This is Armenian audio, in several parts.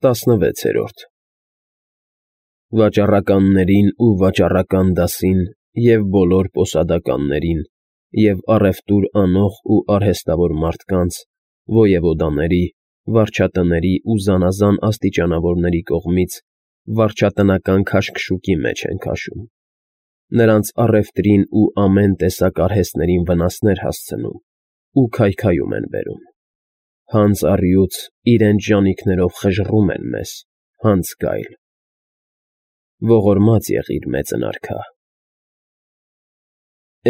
16-րդ Վաճառականներին ու վաճառական դասին և բոլոր պոսադականներին և առևտուր անող ու արհեստավոր մարդկանց, ոևոդաների, վարչատների ու զանազան աստիճանավորների կողմից վարչատնական քաշքշուկի մեջ են քաշում, նրանց առևտրին ու ամեն տեսակ արհեստներին վնասներ հասցնում ու քայքայում են բերում, հանց առյուծ իրենց ժանիքներով խժռում են մեզ, հանց գայլ, ողորմած եղիր, մեծն արքա։ ֊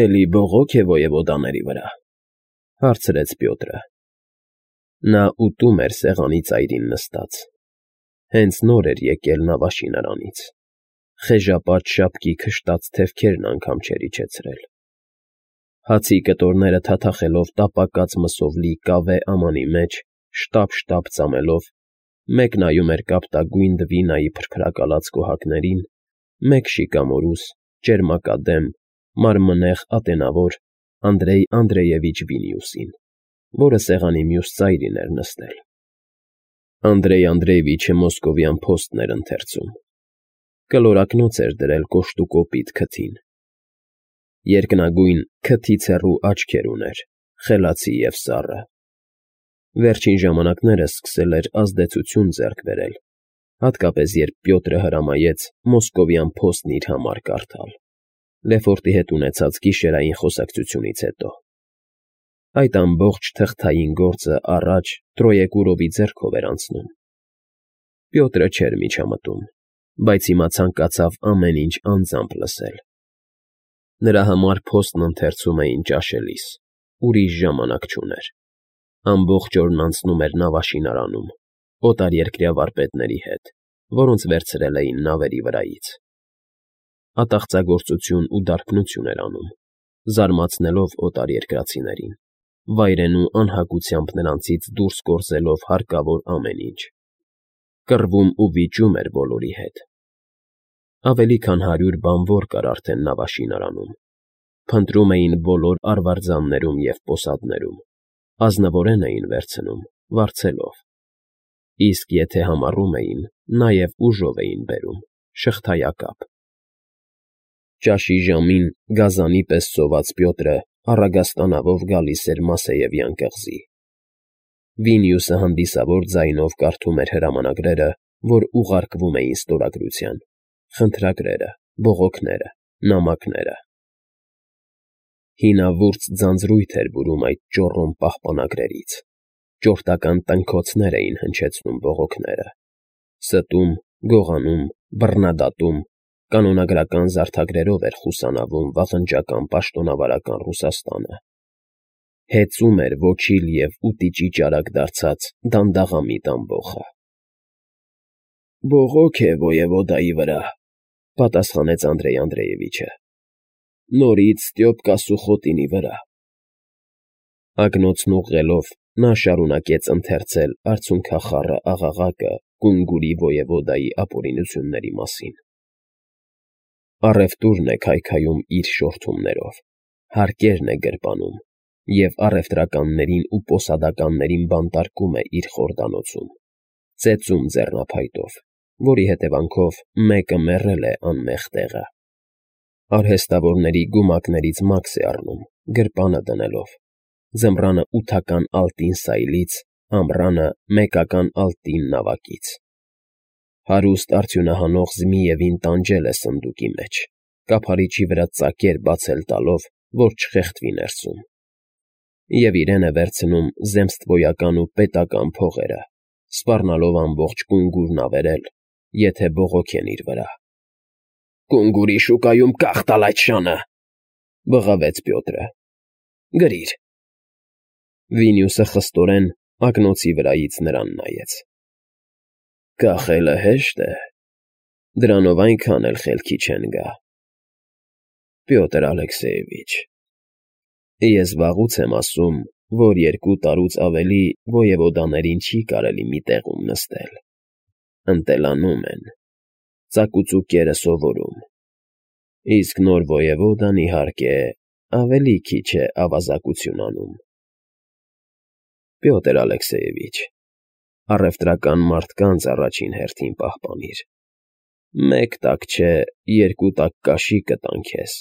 Էլի բողոք է ոևոդաների վրա,֊ հարցրեց Պյոտրը. նա ուտում էր սեղանի ծայրին նստած, հենց նոր էր եկել նավաշինարանից, խեժապատ շապկի քշտած թևքերն անգամ չէր իջեցրել, հացի կտորները թաթախելով տապակած մսով լի կավե ամանի մեջ շտապ ծամելով, մեկ նայում էր կապտագույն դվինայի փրփրակալած կոհակներին, մեկ շիկամորուս, ճերմակադեմ, մարմնեղ ատենավոր Անդրեյ Անդրեյևիչ Վինիուսին, որը սեղանի մյուս ծայրին էր նստել։ Անդրեյ Անդրեյևիչը մոսկովյան փոստն էր ընթերցում, կլորակնոց էր դրել կոշտուկոպիտ քթին, երկնագույն քթից հեռու աչքեր ուներ, խելացի և սառը, վերջին ժամանակներս սկսել էր ազդեցություն ձեռք բերել, հատկապես երբ Պյոտրը հրամայեց մոսկովյան փոստն իր համար կարդալ, Լեֆորտի հետ ունեցած գիշերային խոսակցությունից հետո։ Այդ ամբողջ թղթային գործը առաջ Տրոեկուրովի ձեռքով էր անցնում։ Պյոտրը չէր միջամտում, բայց հիմա ցանկացավ ամեն ինչ անձամբ լսել։ Նրա համար փոստն ընթերցում էին ճաշելիս, ուրիշ ժամանակ չուներ։ Ամբողջ օրն անցնում էր նավաշինարանում, օտարերկրյա վարպետների հետ, որոնց վերցրել էին նավերի վրայից։ Ատաղծագործություն ու դարբնություն էր անում, զարմացնելով օտարերկրացիներին, վայրենու անհագությամբ նրանցից դուրս գործելով հարկավոր ամեն ինչ։ Կռվում ու վիճում էր բոլորի հետ։ Ավելի քան 100 բանվոր կար արդեն նավաշինարանում, փնտրում էին բոլոր արվարձաններում և պոսադներում, ազնվորեն էին վերցնում, վարձելով, իսկ եթե համառում էին, նաև ուժով էին բերում, շղթայակապ։ Ճաշի ժամին գազանի պես սոված Պյոտրը առագաստանավով գալիս էր Մասեևյան կղզի։ Վինիուսը հանդիսավոր ձայնով կարդում էր հրամանագրերը, որ ուղարկվում էին ստորագրության, խնդրագրերը, բողոքները, նամակները։ Հինավուրց ձանձրույթ էր բուրում այդ ճոռոմ պահպանագրերից, ճորտական տնքոցներ էին հնչեցնում բողոքները, ստում, գողանում, բռնադատում, կանոնագրական զարդագրերով էր խուսանավում վաղնջական պաշտոնավարական Ռուսաստանը, հեծում էր ոչիլ և ուտիճի ճարակ դարձած դանդաղամիտ ամբոխը։ «Բողոք է ոևոդայի վրա,֊ պատասխանեց Անդրեյ Անդրեյևիչը,֊ նորից Ստյոպկա Սուխոտինի վրա»։ Ակնոցն ուղղելով՝ նա շարունակեց ընթերցել արցունքախառը աղաղակը Կունգուրի ոևոդայի ապօրինությունների մասին։ Առևտուրն է քայքայում իր շորթումներով, հարկերն է գրպանում և առևտրականներին ու պոսադականներին բանտարկում է իր խորդանոցում, ծեծում ձեռնափայտով, որի հետևանքով մեկը մեռել է անմեղ տեղը։ Արհեստավորների գումակներից մաքս է առնում, գրպանը դնելով, ձմռանը 8-ական ալտին սայլից, ամռանը 1-ական ալտին նավակից։ Հարուստ արդյունահանող Զմիևին տանջել է սնդուկի մեջ, կափարիչի վրա ծակեր բացել տալով, որ չխեղդվի ներսում, և իրեն է վերցնում զեմսթվոյական ու պետական փողերը, սպառնալով ամբողջ Կունգուրն ավերել, եթե բողոքեն իր վրա։ «Կունգուրի շուկայում կախ տալ այդ շանը,֊ բղավեց Պյոտրը,֊ գրիր»։ Վինիուսը խստորեն ակնոցի վրայից նրան նայեց։ «Կախելը հեշտ է, դրանով այնքան էլ խելքի չեն գա։ Պյոտր Ալեքսեևիչ, ես վաղուց եմ ասում, որ 2 տարուց ավելի ոևոդաներին չի կարելի մի տեղում նստել, ընտելանում են, ծակուծուկերը սովորում, իսկ նոր ոևոդան, իհարկե, ավելի քիչ է ավազակություն անում։ Պյոտր Ալեքսեևիչ, առևտրական մարդկանց առաջին հերթին պահպանիր։ Մեկ տակ չէ, երկու տակ կաշի կտան քեզ,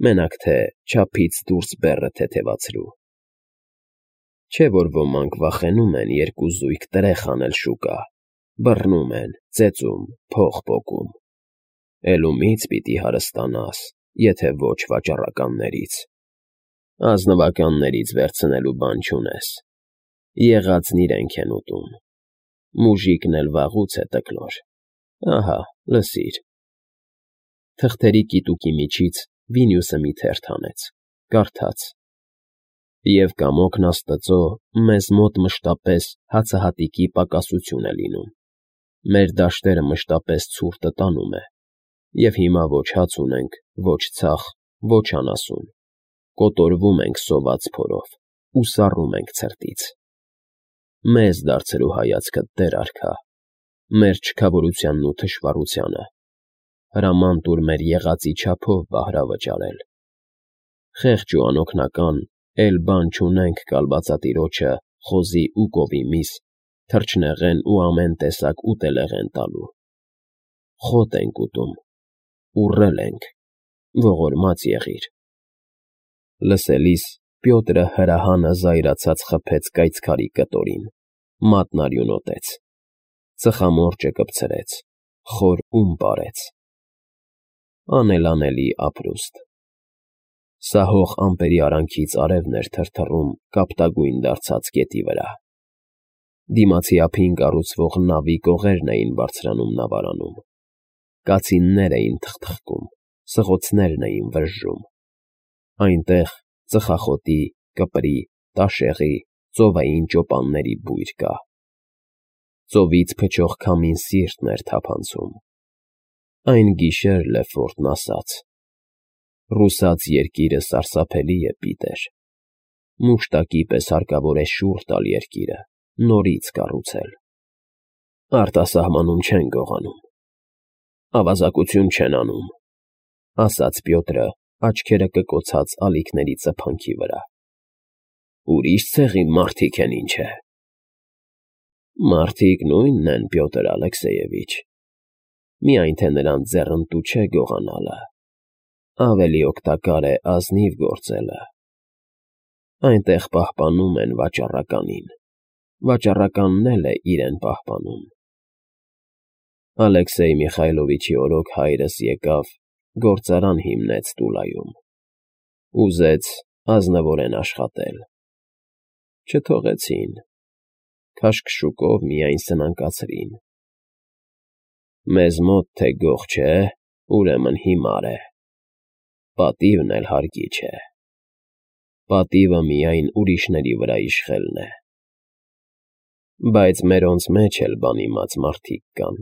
մենակ թե չափից դուրս բեռը թեթևացրու։ Չէ՞ որ ոմանք վախենում են երկու զույգ տրեխ անել շուկա, բռնում են, ծեծում, փող պոկում։ Էլ ումի՞ց պիտի հարստանաս, եթե ոչ վաճառականներից։ Ազնվականներից վերցնելու բան չունես։ Եղածն իրենք են ուտում։ Մուժիկն էլ վաղուց է տկլոր։ Ահա, լսիր։ Թղթերի կիտուկի միջից Վինյուսը մի թերթ հանեց, կարդաց. «Եվ կամոքն աստծո մեզ մոտ մշտապես հացահատիկի պակասություն է լինում. մեր դաշտերը մշտապես ցուրտը տանում է, և հիմա ոչ հաց ունենք, ոչ ցախ, ոչ անասուն, կոտորվում ենք սոված փորով ու սառում ենք ցրտից։ Մեզ դարձրու հայացքդ, Տեր արքա, մեր չքավորությանն ու թշվառությանը, հրաման տուր մեր եղածի չափով բահրավճարել։ Խեղճ ու անօգնական, էլ բան չունենք կալվածատիրոջը խոզի ու կովի միս, թռչնեղեն ու ամեն տեսակ ուտելեղեն տալու։ Խոտ ենք ուտում, ուռել ենք, ողորմած եղիր»։ Լսելիս Պյոտրը հրահանը զայրացած խփեց կայծքարի կտորին, մատն արյունոտեց, ծխամորճը կպցրեց, խոր ում պարեց։ Անելանելի ապրուստ։ Սահող ամպերի արանքից արևն էր թրթռում կապտագույն դարձած գետի վրա։ Դիմացի ափին կառուցվող նավի կողերն էին բարձրանում նավարանում։ Կացիններ էին թխթխկում, սղոցներն էին վժժում։ Այնտեղ ծխախոտի, կպրի, տաշեղի, ծովային ճոպանների բույր կա։ Ծովից փչող քամին սիրտն էր թափանցում։ Այն գիշեր Լեֆորտն ասաց. «Ռուսաց երկիրը սարսափելի է, Պիտեր։ Մուշտակի պես հարկավոր է շուռ տալ երկիրը, նորից կառուցել։ Արտասահմանում չեն գողանում, ավազակություն չեն անում», ասաց Պյոտրը, աչքերը կկոցած ալիքների ծփանքի վրա։ «Ուրիշ ցեղի մարդիկ են, ինչ է»։ Մարդիկ նույնն են, Պյոտր Ալեքսեյևիչ, միայն թե նրանց ձեռնտու չէ գողանալը, ավելի օգտակար է ազնիվ գործելը։ Այնտեղ պահպանում են վաճառականին, վաճառականն էլ է իրեն պահպանում։ Ալեքսեյ Միխայլովիչի օրոք հայրս եկավ, գործարան հիմնեց Տուլայում։ Ուզեց ազնվորեն աշխատել։ Չթողեցին, քաշքշուկով միայն սնանկացրին։ Մեզ մոտ թե գող չէ, ուրեմն հիմար է, պատիվն էլ հարկի չէ։ Պատիվը միայն ուրիշների վրա իշխելն է։ Բայց մերոնց մեջ էլ բան իմաց մարդիկ կան։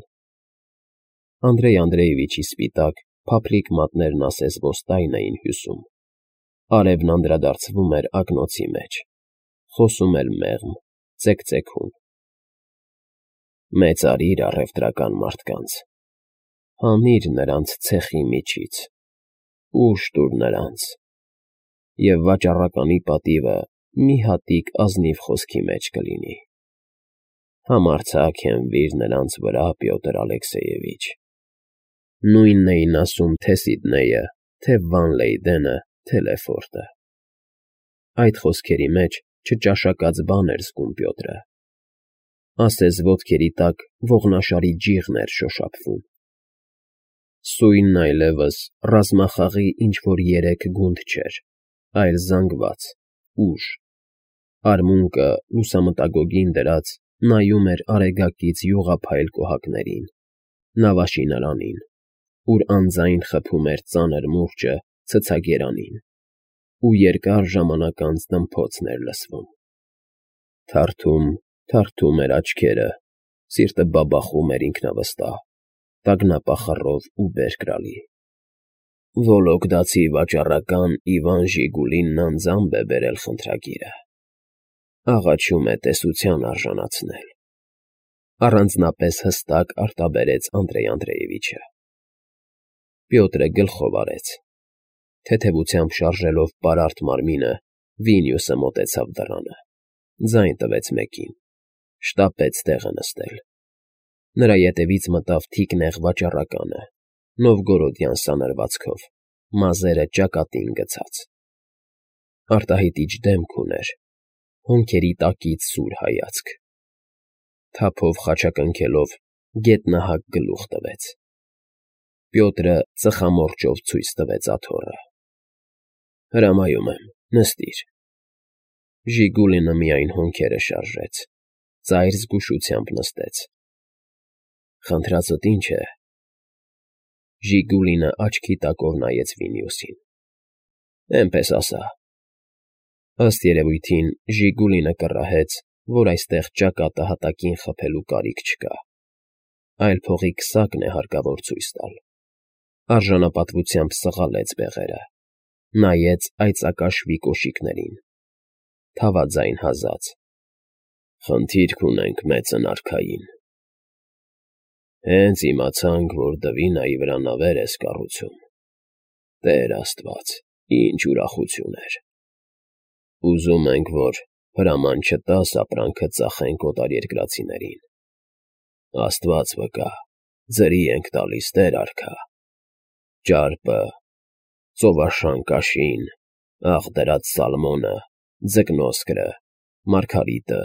Անդրեյ Անդրեյևիչի սպիտակ, փափլիկ մատներն ասես ոսկայն էին հյուսում։ Արևն անդրադարձվում էր ակնոցի մեջ, խոսում էր մեղմ, ծեքծեքում։ Մեծարիր առևտրական մարդկանց, հանիր նրանց ցեխի միջից, ուժ տուր նրանց, և վաճառականի պատիվը մի հատիկ ազնիվ խոսքի մեջ կլինի։ Համարձակ հենվիր նրանց վրա, Պյոտր Ալեքսեյևիչ։ Նույնն էին ասում թե Սիդնեյը, թե Վան Լեյդենը, թե Լեֆորտը։ Այդ խոսքերի մեջ չճաշակած բան էր զգում Պյոտրը։ Ասես ոտքերի տակ ողնաշարի ջիղն էր շոշափվում։ Սույնն այլևս ռազմախաղի ինչ-որ երեք գունդ չէր, այլ զանգված, ուժ։ Արմունկը լուսամտագոգին դրած նայում էր արեգակից յուղափայլ կոհակներին, նավաշինարանին, ուր անձայն խփում էր ծանր մուրճը ցցագերանին, ու երկար ժամանակ անց դմփոցն էր լսվում։ Թարթում, թարթում էր աչքերը, սիրտը բաբախում էր ինքնավստահ, տագնապախռով ու բերկրալի։ Վոլոգդացի վաճառական Իվան Ժիգուլինն անձամբ է բերել խնդրագիրը։ Աղաչում է տեսության արժանացնել։ Առանձնապես հստակ արտաբերեց Անդրեյ Անդրեյևիչը։ Պյոտրը գլխով արեց։ Թեթևությամբ շարժելով պարարտ մարմինը, Վինյուսը մոտեցավ դռանը, ձայն տվեց մեկին։ շտապեց տեղը նստել։ Նրա ետևից մտավ թիկնեղ վաճառականը, նովգորոդյան սանրվածքով, մազերը ճակատին գցած։ Արտահայտիչ դեմք ուներ, հոնքերի տակից սուր հայացք։ Թափով խաչակնքելով գետնահակ գլուխ տվեց։ Պյոտրը ծխամորճով ցույց տվեց աթոռը։ Հրամայում եմ, նստիր։ Ժիգուլինը միայն հոնքերը շարժեց, ծայր զգուշությամբ նստեց։ Խնդրածդ ինչ է։ Ժիգուլինը աչքի տակով նայեց Վինիուսին։ Էնպես ասա։ Ըստ երևույթին Ժիգուլինը կռահեց, որ այստեղ ճակատը հատակին խփելու կարիք չկա, այլ փողի քսակն է հարկավոր ցույց տալ։ Արժանապատվությամբ սղալեց բեղերը, նայեց այծակաշվի կոշիկներին, թավաձայն հազաց։ Խնդիրք ունենք մեծն արքային։ Հենց իմացանք, որ Դվինայի վրա նավեր ես կառուցում։ Տեր Աստված, ինչ ուրախություն էր։ Ուզում ենք, որ հրաման չտաս ապրանքը ծախենք օտարերկրացիներին։ Աստված վկա, ձրի ենք տալիս, Տեր արքա։ Ճարպը, ծովաշան կաշին, աղդրած սալմոնը, ձկնոսկրը, մարգարիտը։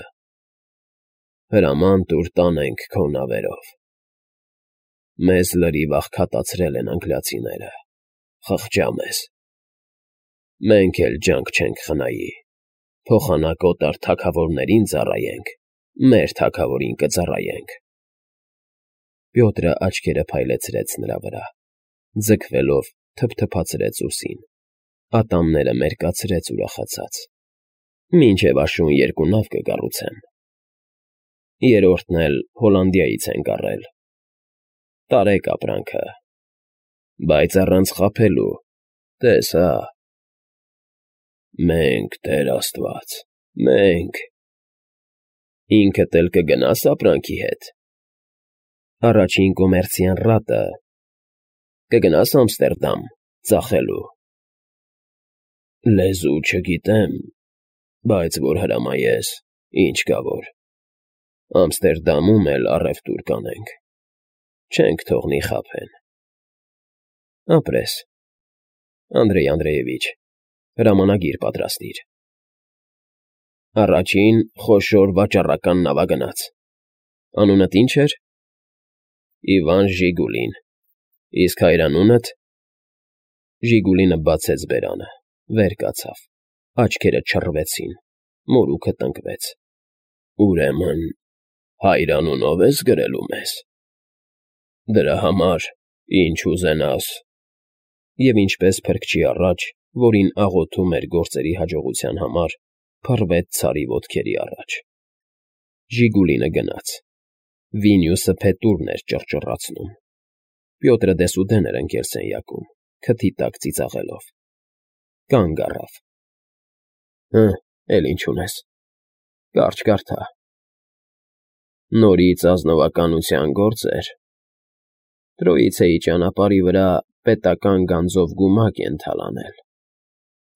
Հրաման տուր տանենք քո նավերով։ Մեզ լրիվ աղքատացրել են անգլիացիները, խղճա մեզ։ Մենք էլ ջանք չենք խնայի, փոխանակ օտար թագավորներին ծառայենք, մեր թագավորին կծառայենք։ Պյոտրը աչքերը փայլեցրեց նրա վրա, ձգվելով թփթփացրեց ուսին, ատամները մերկացրեց ուրախացած։ Մինչև աշուն 2 նավ կկառուցեմ։ Երրորդն էլ Հոլանդիայից ենք առել։ Տարեք ապրանքը։ Բայց առանց խաբելու, տես հա։ Մենք, Տեր Աստված, մենք։ Ինքդ էլ կգնաս ապրանքի հետ։ Առաջին կոմերցիան ռատը։ Կգնաս Ամստերդամ, ծախելու։ Լեզու չգիտեմ, բայց որ հրամայես, ինչ կա որ։ Ամստերդամում էլ առևտուր կանենք։ Չենք թողնի խաբեն։ Ապրես, Անդրեյ Անդրեևիչ, հրամանագիր պատրաստիր։ Առաջին խոշոր վաճառական նավագնաց։ Անունդ ինչ էր։ Իվան Ժիգուլին։ Իսկ հայրանունդ։ Ժիգուլինը բացեց բերանը, վեր կացավ, աչքերը չռվեցին, մորուքը տնկվեց։ Ուրեմն հայրանունով ես գրելու մեզ։ Դրա համար ինչ ուզենաս։ Եվ ինչպես փրկչի առաջ, որին աղոթում էր գործերի հաջողության համար, փռվեց ցարի ոտքերի առաջ։ Ժիգուլինը գնաց։ Վինիուսը փետուրն էր ճռճռացնում։ Պյոտրը դեսուդեն էր ընկել սենյակում, քթի տակ ծիծաղելով։ Կանգ առավ։ Էլ ինչ ունես։ Կարճ կարդա։ Նորից ազնվականության գործեր։ Տրոիցեի ճանապարհի վրա պետական գանձով գումակ են թալանել։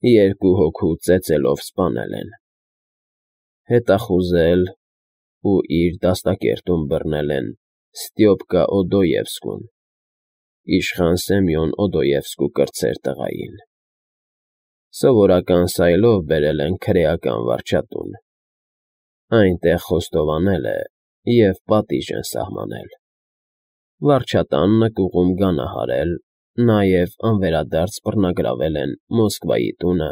2 հոգու ծեծելով սպանել են։ Հետախուզել ու իր դաստակերտում բռնել են Ստյոպկա Օդոևսկուն, իշխան Սեմյոն Օդոևսկու կրտսեր տղային։ Սովորական սայլով բերել են քրեական վարչատուն։ Այնտեղ խոստովանել է և պատիժ են սահմանել։ Վարչատան նկուղում գանահարել, նաև անվերադարձ բռնագրավել են Մոսկվայի տունը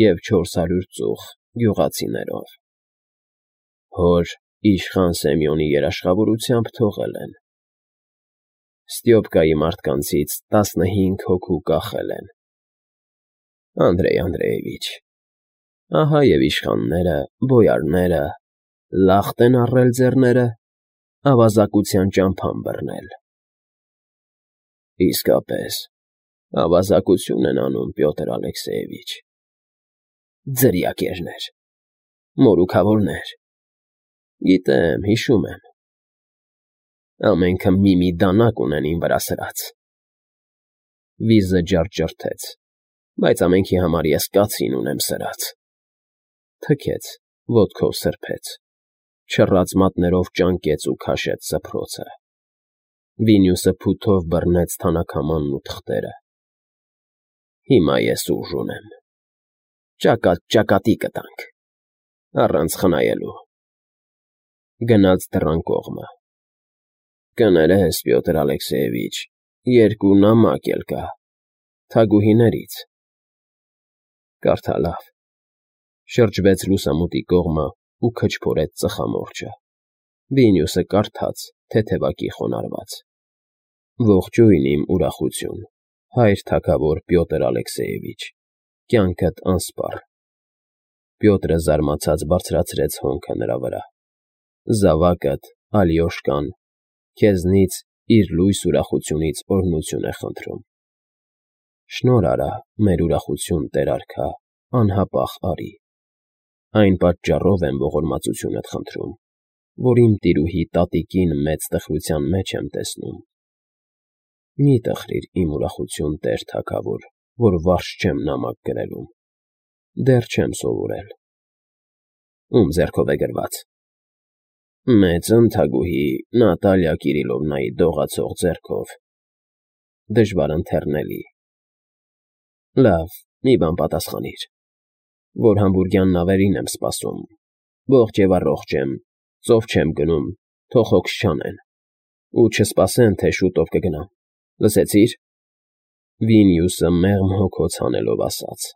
և 400 ծուխ գյուղացիներով։ Հոր իշխան Սեմյոնի երաշխավորությամբ թողել են։ Ստյոպկայի մարդկանցից 15 հոգու կախել են։ Անդրեյ Անդրեևիչ, ահա և իշխանները, բոյարները, լախտ են առել ձեռները, ավազակության ճամփան բռնել։ Իսկապես, ավազակություն են անում, Պյոտր Ալեքսեևիչ։ Ձրիակերներ, մորուքավորներ։ Գիտեմ, հիշում եմ։ Ամենքը մի դանակ ունեն իմ վրա սրած։ Վիզը ջարդջրթեց, բայց ամենքի համար ես կացին ունեմ սրած։ Թքեց, ոտքով սրբեց։ Չռած մատներով ճանկեց ու քաշեց սփռոցը։ Վինյուսը փութով բռնեց թանաքամանն ու թղթերը։ Հիմա ես ուժ ունեմ։ Ճակատ ճակատի կտանք, առանց խնայելու։ Գնաց դռան կողմը։ Կներես, Պյոտր Ալեքսեևիչ, երկու նամակ էլ կա, թագուհիներից։ Կարդա լավ։ Շրջվեց լուսամուտի կողմը ու քչփորեց ծխամորճը։ Վինյուսը կարդաց, թեթևակի խոնարհված. Ողջույն իմ ուրախություն, հայր թագավոր Պյոտր Ալեքսեևիչ, կյանքդ անսպառ։ Պյոտրը զարմացած բարձրացրեց հոնքը նրա վրա։ Զավակդ, Ալյոշկան, քեզնից իր լույս ուրախությունից օրհնություն է խնդրում։ Շնորհ արա, մեր ուրախություն, Տեր արքա, անհապաղ արի։ Այն պատճառով եմ ողորմածությունդ խնդրում, որ իմ տիրուհի տատիկին մեծ տխրության մեջ եմ տեսնում։ Մի տխրիր իմ ուրախություն, Տեր թագավոր, որ վարժ չեմ նամակ գրելուն։ Դեռ չեմ սովորել։ Ում ձեռքով է գրված։ Մեծ ընթագուհի Նատալիա Կիրիլովնայի դողացող ձեռքով։ Դժվար ընթեռնելի։ Լավ, մի բան պատասխանիր, որ համբուրգյան նավերին եմ սպասում, ողջ եւ առողջ եմ, ծով չեմ գնում, թող հոգս չանեն, ու չսպասեն, թե շուտով կգնամ, լսեցի՞ր։ Վինյուսը մեղմ հոգոց հանելով ասաց.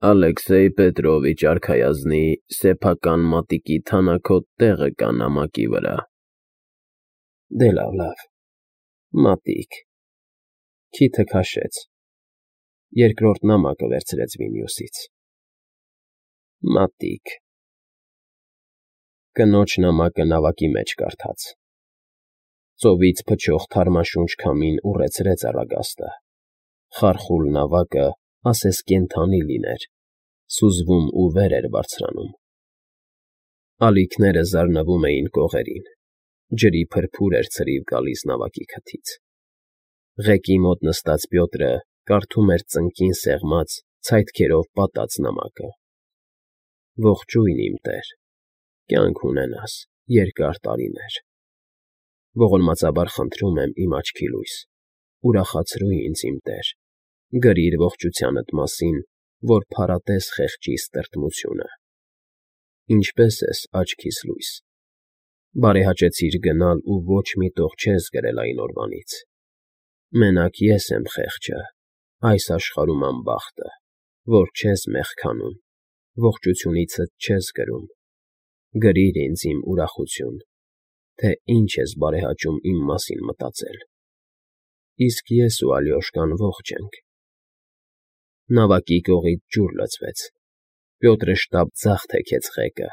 Ալեքսեյ Պետրովիչ արքայազնի սեփական մատիկի թանաքոտ տեղը կա նամակի վրա։ Դե լավ, մատիկ։ Քիթը քաշեց։ Երկրորդ նամակը վերցրեց Վինյուսից։ Մատիկ։ Կնոջ նամակը նավակի մեջ կարդաց։ Ծովից փչող թարմաշունչ քամին ուռեցրեց առագաստը։ Խարխուլ նավակը ասես կենդանի լիներ, սուզվում ու վեր էր բարձրանում։ Ալիքները զարնվում էին կողերին, ջրի փրփուր էր ցրիվ գալիս նավակի քթից։ Ղեկի մոտ նստած Պյոտրը կարդում էր ծնկին սեղմած, ցայտքերով պատած նամակը։ Ողջույն իմ Տեր, կյանք ունենաս, երկար տարիներ։ Ողորմածաբար խնդրում եմ իմ աչքի լույս, ուրախացրու ինձ իմ Տեր, գրիր ողջությանդ մասին, որ փարատես խեղճի ստրտմությունը։ Ինչպես ես աչքիս լույս։ Բարեհաճեցիր գնալ ու ոչ մի տող չես գրել այն օրվանից։ Մենակ ես եմ խեղճը, այս աշխարհում անբախտը, որ չես մեղքանում, ողջությունիցդ չես գրում։ Գրիր ինձ իմ ուրախություն, թե ինչ ես բարեհաճում իմ մասին մտածել։ Իսկ ես ու Ալյոշկան ողջ ենք։ Նավակի կողից ջուր լցվեց։ Պյոտրը շտապ ձախ թեքեց ղեկը։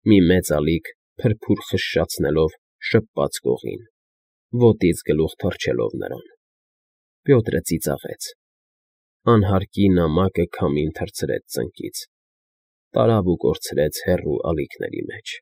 Մի մեծ ալիք փրփուր խշշացնելով շփված կողին, ոտից գլուխ թռչելով նրան։ Պյոտրը ծիծաղեց։ Անհարկի նամակը քամին թռցրեց ծնկից, տարավ ու կորցրեց հեռու ալիքների մեջ։